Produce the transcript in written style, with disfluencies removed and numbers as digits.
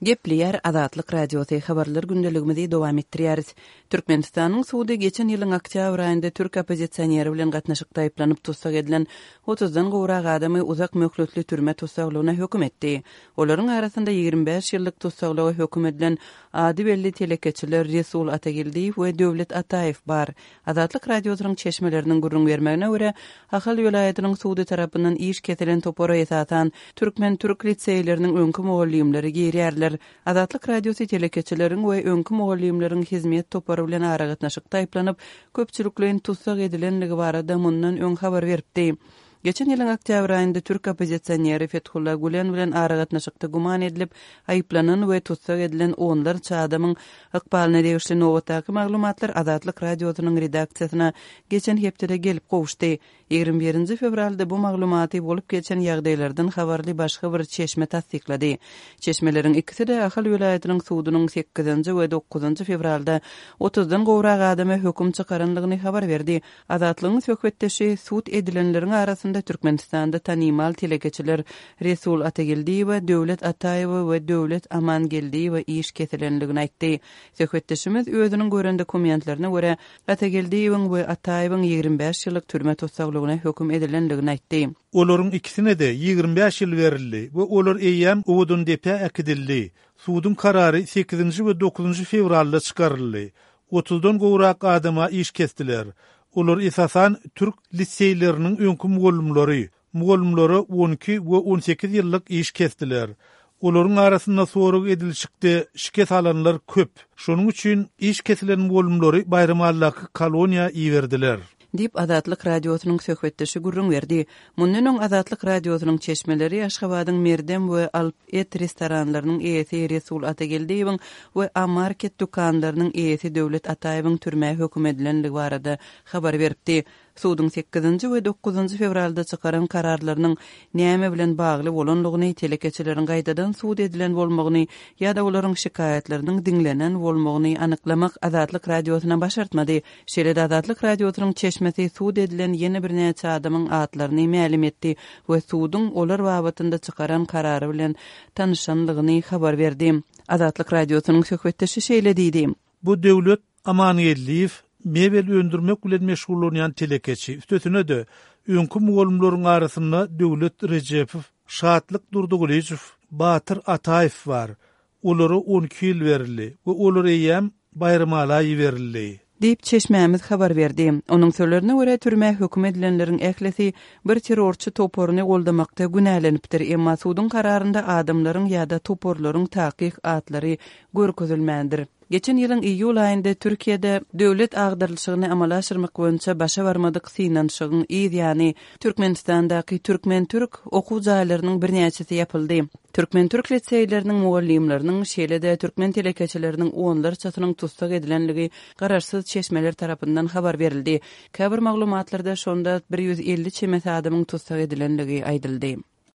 Gepleýär Azatlyk Radiosy, Habarlar gündeligimizi dowam etdirýäris. Türkmenistanyň sudy geçen ýylyň oktýabr aýynda türk oppozisioneri bilen gatnaşykda aýyplanyp tussag edilen otuzdan gowrak adamy uzak möhletli türme tussaglygyna höküm etdi. Olaryň arasynda 25 ýyllyk tussaglyga höküm edilen ady belli telekeçiler Resul Atageldiýew we Döwlet Ataýew bar. Azatlyk Radiosynyň çeşmeleriniň gürrüň bermegine görä, Ahal welaýatynyň sudy tarapyndan iş kesilen topara esasan türkmen-türk liseýleriniň öňki mugallymlary girýärler. Azatlyk Radiosy telekeçileriň we öňki mugallymlaryň Hizmet topary bilen aragatnaşykda aýyplanyp, köpçülikleýin tussag edilenligi barada mundan öň habar beripdi. Geçen ýylyň oktýabr aýynda türk oppozisioneri Fethullah Gülen bilen aragatnaşykda güman edilip, aýyplanan we tussag edilen onlarça adamyň ykbalyna degişli nobatdaky maglumatlar Azatlyk Radiosynyň redaksiýasyna geçen hepdede gelip gowuşdy. 21 nji fewralda bu maglumaty bolup geçen ýagdaýlardan habarly başga bir çeşme tassyklady. Çeşmeleriň ikisi-de Ahal welaýatynyň sudunyň sekizinji we dokuzynjy fewralda otuzdan gowrak adama höküm çykarandygyny habar berdi. Azatlygyň söhbetdeşi sud edilenleriň arasynda Türkmenistanda tanymal telekeçiler Resul Atageldiýewe, Döwlet Ataýewe we Döwlet Amangeldiýewe iş kesilendigini aýtdy. Söhbetdeşimiz özüniň gören dokumentlerine görä, Atageldiýewiň we Ataýewiň 25 ýyllyk türme tussaglygyna höküm edilendigini aýtdy. Olaryň ikisine-de 25 ýyl berildi we olar eýýäm Owadandepä äkidildi. Suduň karary sekizinji we dokuzynjy fewralda çykaryldy. Otuzdan gowrak adama iş kesdiler. Olar esasan türk liseýleriniň öňki mugallymlary. Mugallymlara 12 we 18 ýyllyk iş kesdiler. Olaryň arasynda sorag edilişikde şikes alanlar köp. Şonuň üçin iş kesilen mugallymlary Baýramalydaky koloniýa iberdiler. Diýip, Azatlyk Radiosynyň söhbetdeşi gürrüň berdi. Mundan öň Azatlyk Radiosynyň çeşmeleri Aşgabadyň Merdem we Alp et restoranlarynyň eýesi Resul Atageldiýewiň we A-Market dükanlarynyň eýesi Döwlet Ataýewiň türmä höküm edilenligi barada habar beripdi. Suduň sekizinji we dokuzynjy fewralda çykaran kararlarynyň näme bilen bagly bolanlygyny, telekeçileriň gaýtadan sud edilen bolmagyny ýa-da olaryň şikaýatlarynyň diňlenen bolmagyny anyklamak Azatlyk Radiosyna başartmady. Şeýle-de Azatlyk Radiosynyň çeşmesi sud edilen ýene birnäçe adamyň atlaryny mälim etdi we suduň olar babatynda çykaran karary bilen tanyşanlygyny habar berdi. Azatlyk Radiosynyň söhbetdeşi şeýle diýdi. Bu Döwlet Amangeldiýew mebel öndürmek bilen meşgullanýan telekeçi. Üstesine-de, öňki mugallymlaryň arasynda Döwlet Rejepow, Şatlyk Durdygylyjow, Batyr Ataýew bar. Olara 12 ýyl berildi we olar eýýäm Baýramala iberildi. Diýip, çeşmämiz habar berdi. Onuň sözlerine görä, türmä höküm edilenleriň ählisi bir terrorçy toparyny goldamakda günälenipdir, emma suduň kararynda adamlaryň ýa-da toparlaryň takyk atlary görkezilmändir. Geçen ýylyň iýul aýynda Türkiýede döwlet agdarylyşygyny amala aşyrmak boýunça başa barmadyk synanyşygyň yz ýany, Türkmenistandaky türkmen-türk okuw jaýlarynyň birnäçesi ýapyldy. Türkmen-türk liseýleriniň mugallymlarynyň, şeýle-de türkmen telekeçileriniň onlarçasynyň tussag edilenligi garaşsyz çeşmeler tarapyndan habar berildi. Käbir maglumatlarda şonda 150 çemesi adamyň tussag edilenligi aýdyldy.